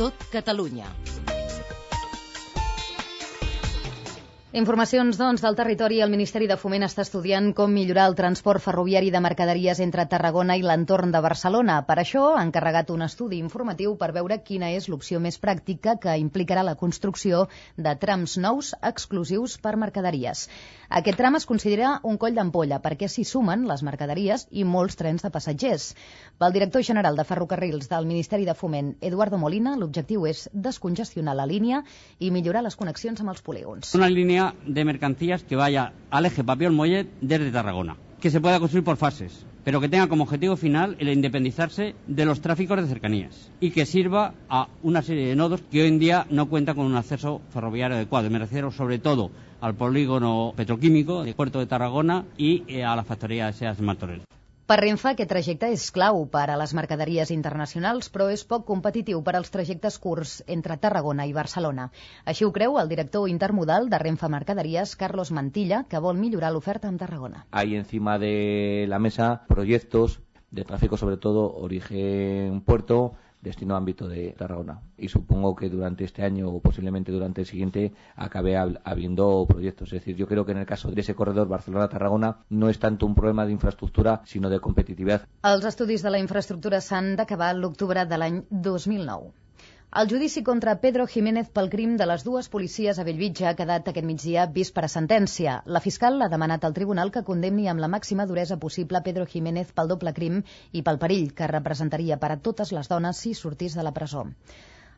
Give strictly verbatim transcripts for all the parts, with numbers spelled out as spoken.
tot Catalunya. Informacions, doncs, del territori. El Ministeri de Foment està estudiant com millorar el transport ferroviari de mercaderies entre Tarragona i l'entorn de Barcelona. Per això ha encarregat un estudi informatiu per veure quina és l'opció més pràctica que implicarà la construcció de trams nous exclusius per mercaderies. Aquest tram es considera un coll d'ampolla perquè s'hi sumen les mercaderies i molts trens de passatgers. Pel director general de Ferrocarrils del Ministeri de Foment, Eduardo Molina, l'objectiu és descongestionar la línia i millorar les connexions amb els polígons. Una línia de mercancías que vaya al eje Papiol-Mollet desde Tarragona, que se pueda construir por fases, pero que tenga como objetivo final el independizarse de los tráficos de cercanías y que sirva a una serie de nodos que hoy en día no cuentan con un acceso ferroviario adecuado. Me refiero sobre todo al polígono petroquímico del puerto de Tarragona y eh, a la factoría de SEAT Martorell. Per Renfe, aquest trajecte és clau per a les mercaderies internacionals, però és poc competitiu per als trajectes curts entre Tarragona i Barcelona. Així ho creu el director intermodal de Renfe Mercaderies, Carlos Mantilla, que vol millorar l'oferta amb Tarragona. Hay encima de la mesa proyectos de tráfico, sobre todo origen puerto, destino ámbito de Tarragona. Y supongo que durante este año o posiblemente durante el siguiente acabe habiendo proyectos. Es decir, yo creo que en el caso de ese corredor Barcelona-Tarragona no es tanto un problema de infraestructura, sino de competitividad. Els estudis de la infraestructura s'han d'acabar l'octubre de l'any dos mil nou. El judici contra Pedro Jiménez pel crim de les dues policies a Bellvitge ha quedat aquest migdia vist per a sentència. La fiscal ha demanat al tribunal que condemni amb la màxima duresa possible Pedro Jiménez pel doble crim i pel perill que representaria per a totes les dones si sortís de la presó.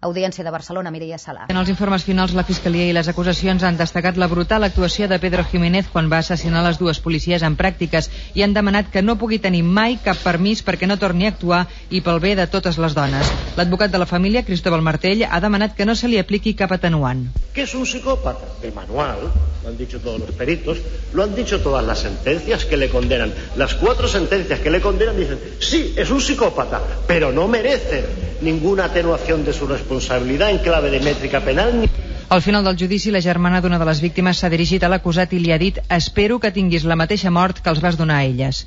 Audiència de Barcelona, Mireia Sala. En els informes finals, la Fiscalia i les acusacions han destacat la brutal actuació de Pedro Jiménez quan va assassinar les dues policies en pràctiques i han demanat que no pugui tenir mai cap permís perquè no torni a actuar i pel bé de totes les dones. L'advocat de la família, Cristóbal Martell, ha demanat que no se li apliqui cap atenuant. ¿Qué es un psicópata? De manual, lo han dicho todos los peritos, lo han dicho todas las sentencias que le condenan. Las cuatro sentencias que le condenan dicen, sí, es un psicópata, pero no merece ninguna atenuación de su responsabilidad en clave de métrica penal. Al final del judici, la germana d'una de les víctimes s'ha dirigit a l'acusat i li ha dit «Espero que tinguis la mateixa mort que els vas donar a elles».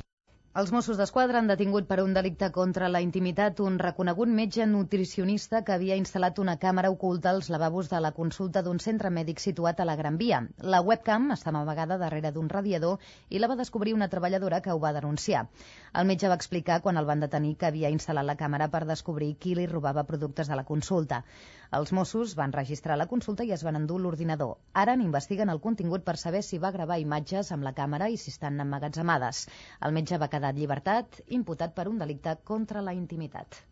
Els Mossos d'Esquadra han detingut per un delicte contra la intimitat un reconegut metge nutricionista que havia instal·lat una càmera oculta als lavabos de la consulta d'un centre mèdic situat a la Gran Via. La webcam estava amagada darrere d'un radiador i la va descobrir una treballadora que ho va denunciar. El metge va explicar quan el van detenir que havia instal·lat la càmera per descobrir qui li robava productes de la consulta. Els Mossos van registrar la consulta i es van endur l'ordinador. Ara n'investiguen el contingut per saber si va gravar imatges amb la càmera i si estan emmagatzemades. El metge va quedar en llibertat, imputat per un delicte contra la intimitat.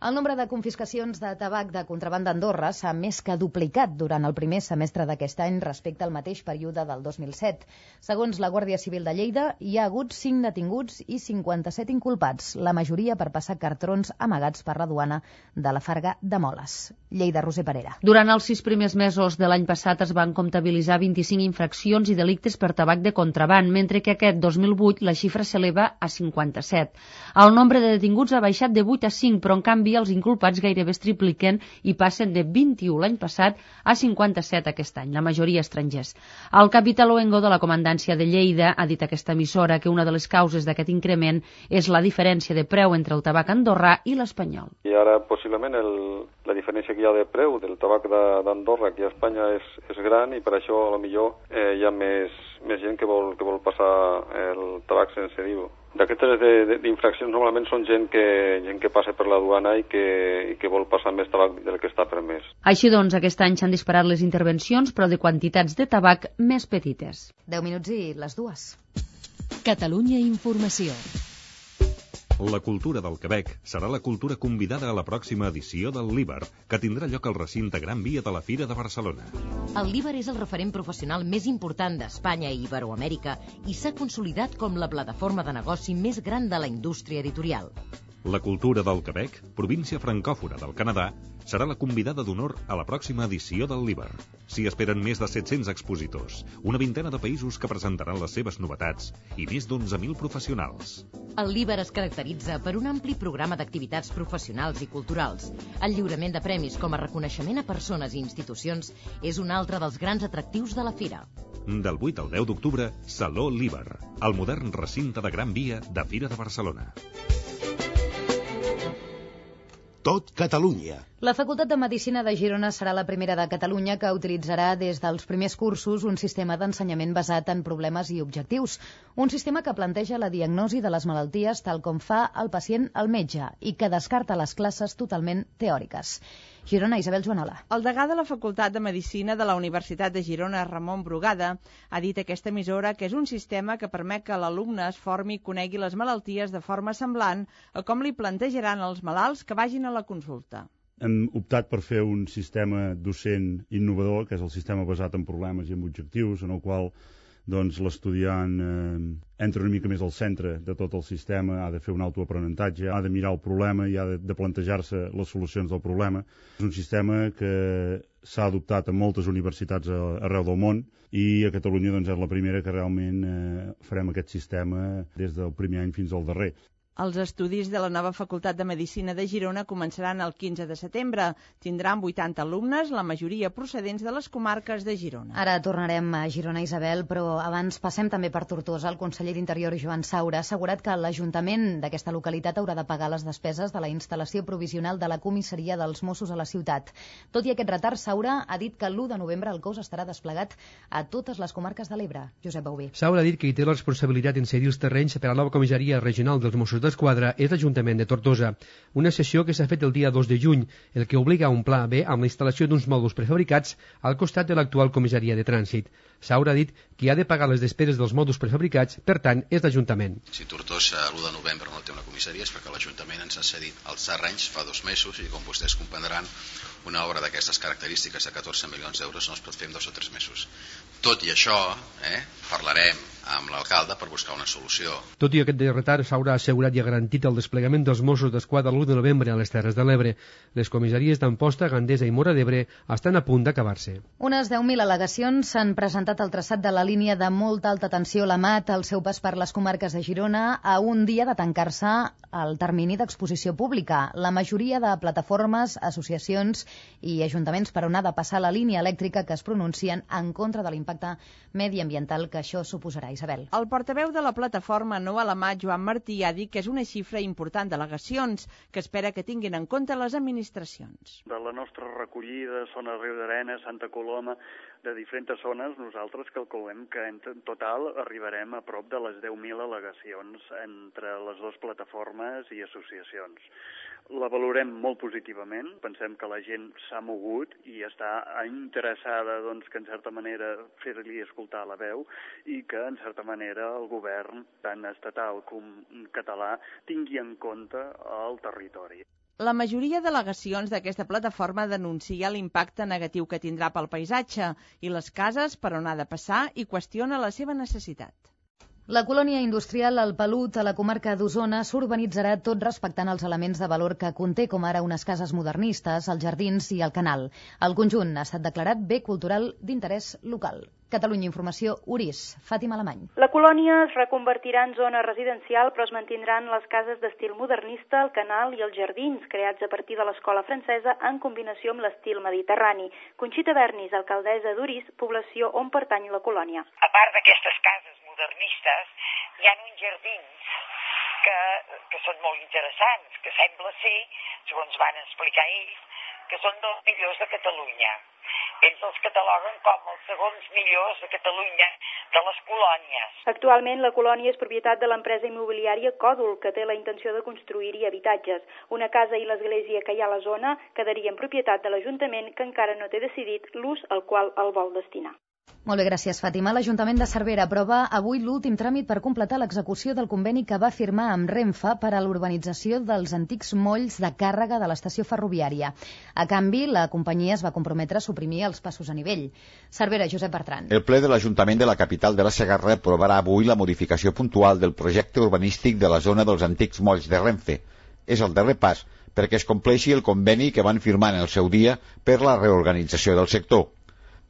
El nombre de confiscacions de tabac de contraban d'Andorra s'ha més que duplicat durant el primer semestre d'aquest any respecte al mateix període del dos mil set. Segons la Guàrdia Civil de Lleida, hi ha hagut cinc detinguts i cinquanta-set inculpats, la majoria per passar cartrons amagats per la duana de la Farga de Moles. Lleida, Roser Parera. Durant els sis primers mesos de l'any passat es van comptabilitzar vint-i-cinc infraccions i delictes per tabac de contraban, mentre que aquest dos mil vuit la xifra s'eleva a cinquanta-set. El nombre de detinguts ha baixat de vuit a cinc, però en canvi els inculpats gairebé es tripliquen i passen de vint-i-u l'any passat a cinquanta-set aquest any, la majoria estrangers. El capità Luengo de la Comandància de Lleida ha dit a aquesta emissora que una de les causes d'aquest increment és la diferència de preu entre el tabac andorrà i l'espanyol. I ara possiblement el, la diferència que hi ha de preu del tabac d'Andorra aquí a Espanya és, és gran i per això a lo millor eh, hi ha més, més gent que vol, que vol passar el tabac sense D I V. D'aquestes d'infraccions normalment són gent que, gent que passa per la duana i que, i que vol passar més tabac del que està permès. Així doncs, aquest any s'han disparat les intervencions, però de quantitats de tabac més petites. deu minuts i les dues. Catalunya Informació. La cultura del Quebec serà la cultura convidada a la pròxima edició del Líber, que tindrà lloc al recinte Gran Via de la Fira de Barcelona. El Líber és el referent professional més important d'Espanya i Iberoamèrica i s'ha consolidat com la plataforma de negoci més gran de la indústria editorial. La cultura del Quebec, província francòfona del Canadà, serà la convidada d'honor a la pròxima edició del Líber. S'hi esperen més de set-cents expositors, una vintena de països que presentaran les seves novetats i més d'onze mil professionals. El Líber es caracteritza per un ampli programa d'activitats professionals i culturals. El lliurament de premis com a reconeixement a persones i institucions és un altre dels grans atractius de la fira. Del vuit al deu d'octubre, Saló Líber, el modern recinte de Gran Via de Fira de Barcelona. tot Catalunya. La Facultat de Medicina de Girona serà la primera de Catalunya que utilitzarà des dels primers cursos un sistema d'ensenyament basat en problemes i objectius. Un sistema que planteja la diagnosi de les malalties tal com fa el pacient al metge i que descarta les classes totalment teòriques. Girona, Isabel Joanola. El degà de la Facultat de Medicina de la Universitat de Girona, Ramon Brugada, ha dit a aquesta emissora que és un sistema que permet que l'alumne es formi i conegui les malalties de forma semblant a com li plantejaran els malalts que vagin a la consulta. Hem optat per fer un sistema docent innovador, que és el sistema basat en problemes i en objectius, en el qual doncs, l'estudiant eh, entra una mica més al centre de tot el sistema, ha de fer un autoaprenentatge, ha de mirar el problema i ha de, de plantejar-se les solucions del problema. És un sistema que s'ha adoptat en moltes universitats arreu del món i a Catalunya doncs, és la primera que realment eh, farem aquest sistema des del primer any fins al darrer. Els estudis de la nova Facultat de Medicina de Girona començaran el quinze de setembre. Tindran vuitanta alumnes, la majoria procedents de les comarques de Girona. Ara tornarem a Girona, Isabel, però abans passem també per Tortosa. El conseller d'Interior, Joan Saura, ha assegurat que l'Ajuntament d'aquesta localitat haurà de pagar les despeses de la instal·lació provisional de la comissaria dels Mossos a la ciutat. Tot i aquest retard, Saura ha dit que l'u de novembre el cos estarà desplegat a totes les comarques de l'Ebre. Josep Bauví. Saura ha dit que hi té la responsabilitat en cedir els terrenys per a la nova comissaria regional dels Mossos d'Esquadra és l'Ajuntament de Tortosa. Una sessió que s'ha fet el dia dos de juny, el que obliga a un pla B amb la instal·lació d'uns mòduls prefabricats al costat de l'actual comissaria de trànsit. Saura ha dit que ha de pagar les despeses dels mòduls prefabricats, per tant, és l'Ajuntament. Si Tortosa l'u de novembre no té una comissaria és perquè l'Ajuntament ens ha cedit els terrenys fa dos mesos i, com vostès comprendran, una obra d'aquestes característiques de catorze milions d'euros no es pot fer en dos o tres mesos. Tot i això, eh, parlarem amb l'alcalde per buscar una solució. Tot i aquest retard, Saura ha assegurat i ha garantit el desplegament dels Mossos d'Esquadra l'u de novembre a les Terres de l'Ebre. Les comissaries d'Amposta, Gandesa i Móra d'Ebre estan a punt d'acabar-se. Unes deu mil al·legacions s'han presentat al traçat de la línia de molta alta tensió la Mat al seu pas per les comarques de Girona a un dia de tancar-se el termini d'exposició pública. La majoria de plataformes, associacions i ajuntaments per on ha de passar la línia elèctrica que es pronuncien en contra de l'impacte mediambiental que això suposarà. Isabel. El portaveu de la plataforma No a la Mat, Joan Martí, ha dit que és una xifra important d'al·legacions que espera que tinguin en compte les administracions. De la nostra recollida, zona Riu d'Arena, Santa Coloma, de diferents zones, nosaltres calculem que en total arribarem a prop de les deu mil al·legacions entre les dues plataformes i associacions. La valorem molt positivament, pensem que la gent s'ha mogut i està interessada doncs, que en certa manera fer-li escoltar la veu i que en certa manera el govern, tant estatal com català, tingui en compte el territori. La majoria d'al·legacions d'aquesta plataforma denuncia l'impacte negatiu que tindrà pel paisatge i les cases per on ha de passar i qüestiona la seva necessitat. La colònia industrial El Pelut, a la comarca d'Osona, s'urbanitzarà tot respectant els elements de valor que conté, com ara unes cases modernistes, els jardins i el canal. El conjunt ha estat declarat bé cultural d'interès local. Catalunya Informació, Orís, Fàtima Alemany. La colònia es reconvertirà en zona residencial, però es mantindran les cases d'estil modernista, el canal i els jardins, creats a partir de l'escola francesa en combinació amb l'estil mediterrani. Conxita Bernis, alcaldessa d'Orís, població on pertany la colònia. A part d'aquestes cases modernistes, hi ha uns jardins que, que són molt interessants, que sembla ser, segons van explicar ells, que són dels millors de Catalunya. Ells els cataloguen com els segons millors de Catalunya de les colònies. Actualment la colònia és propietat de l'empresa immobiliària Còdol, que té la intenció de construir-hi habitatges. Una casa i l'església que hi ha a la zona quedaria en propietat de l'Ajuntament, que encara no té decidit l'ús al qual el vol destinar. Molt bé, gràcies, Fàtima. L'Ajuntament de Cervera aprova avui l'últim tràmit per completar l'execució del conveni que va firmar amb Renfe per a l'urbanització dels antics molls de càrrega de l'estació ferroviària. A canvi, la companyia es va comprometre a suprimir els passos a nivell. Cervera, Josep Bertran. El ple de l'Ajuntament de la capital de la Segarra aprovarà avui la modificació puntual del projecte urbanístic de la zona dels antics molls de Renfe. És el darrer pas perquè es compleixi el conveni que van firmar en el seu dia per la reorganització del sector.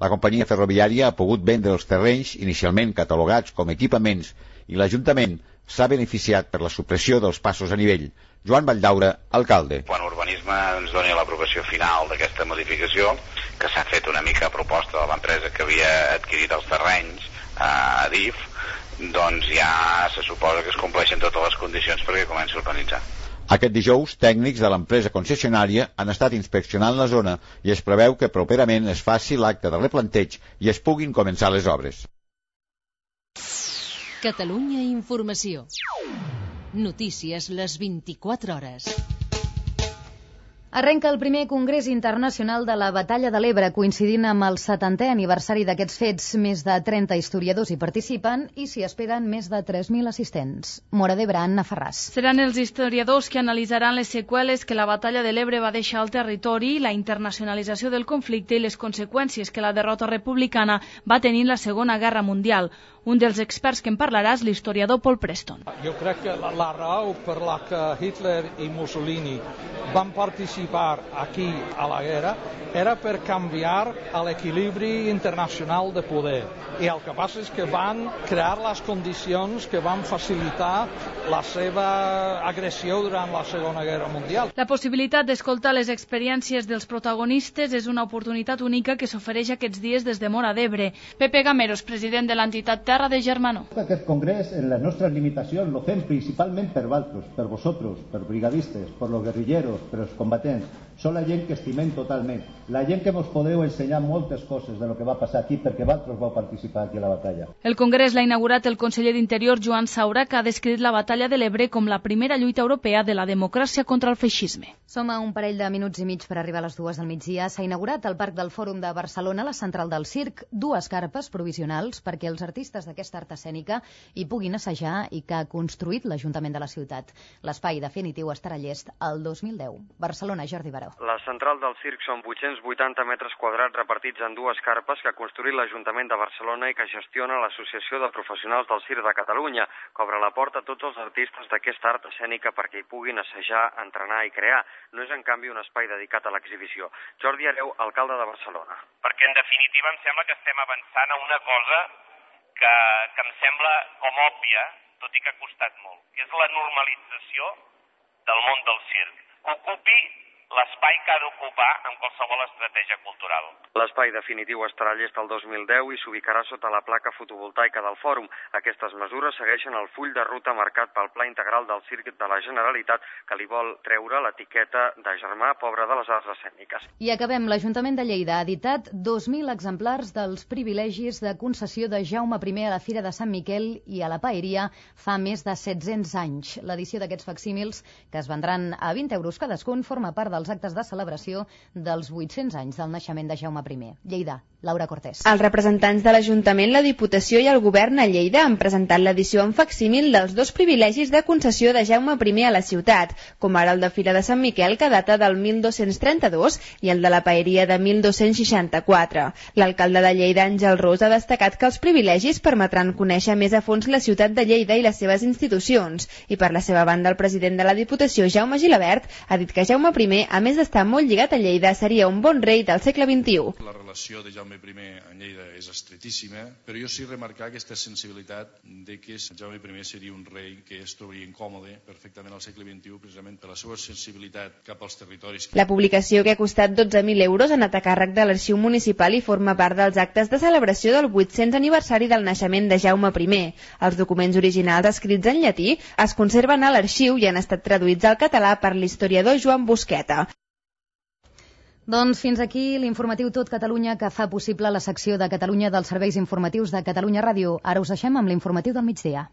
La companyia ferroviària ha pogut vendre els terrenys inicialment catalogats com equipaments i l'Ajuntament s'ha beneficiat per la supressió dels passos a nivell. Joan Valldaura, alcalde. Quan Urbanisme ens doni l'aprovació final d'aquesta modificació, que s'ha fet una mica a proposta de l'empresa que havia adquirit els terrenys, a D I F, doncs ja se suposa que es compleixen totes les condicions perquè comenci a urbanitzar. Aquest dijous, tècnics de l'empresa concessionària han estat inspeccionant la zona i es preveu que properament es faci l'acte de replanteig i es puguin començar les obres. Catalunya Informació. Notícies les vint-i-quatre hores. Arrenca el primer Congrés Internacional de la Batalla de l'Ebre, coincidint amb el setantè aniversari d'aquests fets. Més de trenta historiadors hi participen i s'hi esperen més de tres mil assistents. Mora d'Ebre, Anna Ferràs. Seran els historiadors que analitzaran les seqüeles que la Batalla de l'Ebre va deixar al territori, la internacionalització del conflicte i les conseqüències que la derrota republicana va tenir en la Segona Guerra Mundial. Un dels experts que en parlarà és l'historiador Paul Preston. Jo crec que la, la raó per la que Hitler i Mussolini van participar aquí a la guerra era per canviar l'equilibri internacional de poder. I el que passa és que van crear les condicions que van facilitar la seva agressió durant la Segona Guerra Mundial. La possibilitat d'escoltar les experiències dels protagonistes és una oportunitat única que s'ofereix aquests dies des de Mora d'Ebre. Pepe Gameros, president de l'entitat Terra de Germanó. Aquest congrés, en les nostres limitacions, lo fem principalment per vosaltres, per vosaltres, per brigadistes, per los guerrilleros, per els combatents. Són la gent que estimem totalment. La gent que mos podeu ensenyar moltes coses de lo que va passar aquí perquè vosaltres vau participar aquí a la batalla. El congrés l'ha inaugurat el conseller d'Interior Joan Saura, que ha descrit la batalla de l'Ebre com la primera lluita europea de la democràcia contra el feixisme. Som a un parell de minuts i mig per arribar a les dues del migdia. S'ha inaugurat al Parc del Fòrum de Barcelona, la central del circ, dues carpes provisionals perquè els artistes d'aquesta art escènica hi puguin assajar i que ha construït l'Ajuntament de la ciutat. L'espai definitiu estarà llest el dos mil deu. Barcelona, Jordi Baró. La central del circ són vuit-cents vuitanta metres quadrats repartits en dues carpes que ha construït l'Ajuntament de Barcelona i que gestiona l'Associació de Professionals del Circ de Catalunya, que obre la porta a tots els artistes d'aquesta art escènica perquè hi puguin assajar, entrenar i crear. No és, en canvi, un espai dedicat a l'exhibició. Jordi Hereu, alcalde de Barcelona. Perquè, en definitiva, em sembla que estem avançant a una cosa que, que em sembla com òbvia, tot i que ha costat molt, que és la normalització del món del circ. Ocupi l'espai que ha d'ocupar en qualsevol estratègia cultural. L'espai definitiu estarà llest el dos mil deu i s'ubicarà sota la placa fotovoltaica del fòrum. Aquestes mesures segueixen el full de ruta marcat pel Pla Integral del Circ de la Generalitat, que li vol treure l'etiqueta de germà pobre de les arts escèniques. I acabem. L'Ajuntament de Lleida ha editat dos mil exemplars dels privilegis de concessió de Jaume primer a la Fira de Sant Miquel i a la Paeria fa més de set-cents anys. L'edició d'aquests facsímils, que es vendran a vint euros cadascun, forma part dels actes de celebració dels vuit-cents anys del naixement de Jaume primer. Lleida, Laura Cortés. Els representants de l'Ajuntament, la Diputació i el Govern a Lleida han presentat l'edició en facsímil dels dos privilegis de concessió de Jaume primer a la ciutat, com ara el de Fira de Sant Miquel, que data del mil dos-cents trenta-dos, i el de la Paeria de mil dos-cents seixanta-quatre. L'alcalde de Lleida, Àngel Ros, ha destacat que els privilegis permetran conèixer més a fons la ciutat de Lleida i les seves institucions, i per la seva banda el president de la Diputació, Jaume Gilabert, ha dit que Jaume primer, a més d'estar molt lligat a Lleida, seria un bon rei del segle vint-i-u. La relació de Jaume primer en Lleida és estretíssima, però jo sí remarcar aquesta sensibilitat de que Jaume primer seria un rei que es trobaria incòmode perfectament al segle vint-i-u, precisament per la seva sensibilitat cap als territoris. La publicació, que ha costat dotze mil euros, ha anat a càrrec de l'Arxiu Municipal i forma part dels actes de celebració del vuit-cents aniversari del naixement de Jaume primer. Els documents originals, escrits en llatí, es conserven a l'arxiu i han estat traduïts al català per l'historiador Joan Busqueta. Doncs fins aquí l'informatiu Tot Catalunya, que fa possible la secció de Catalunya dels serveis informatius de Catalunya Ràdio. Ara us deixem amb l'informatiu del migdia.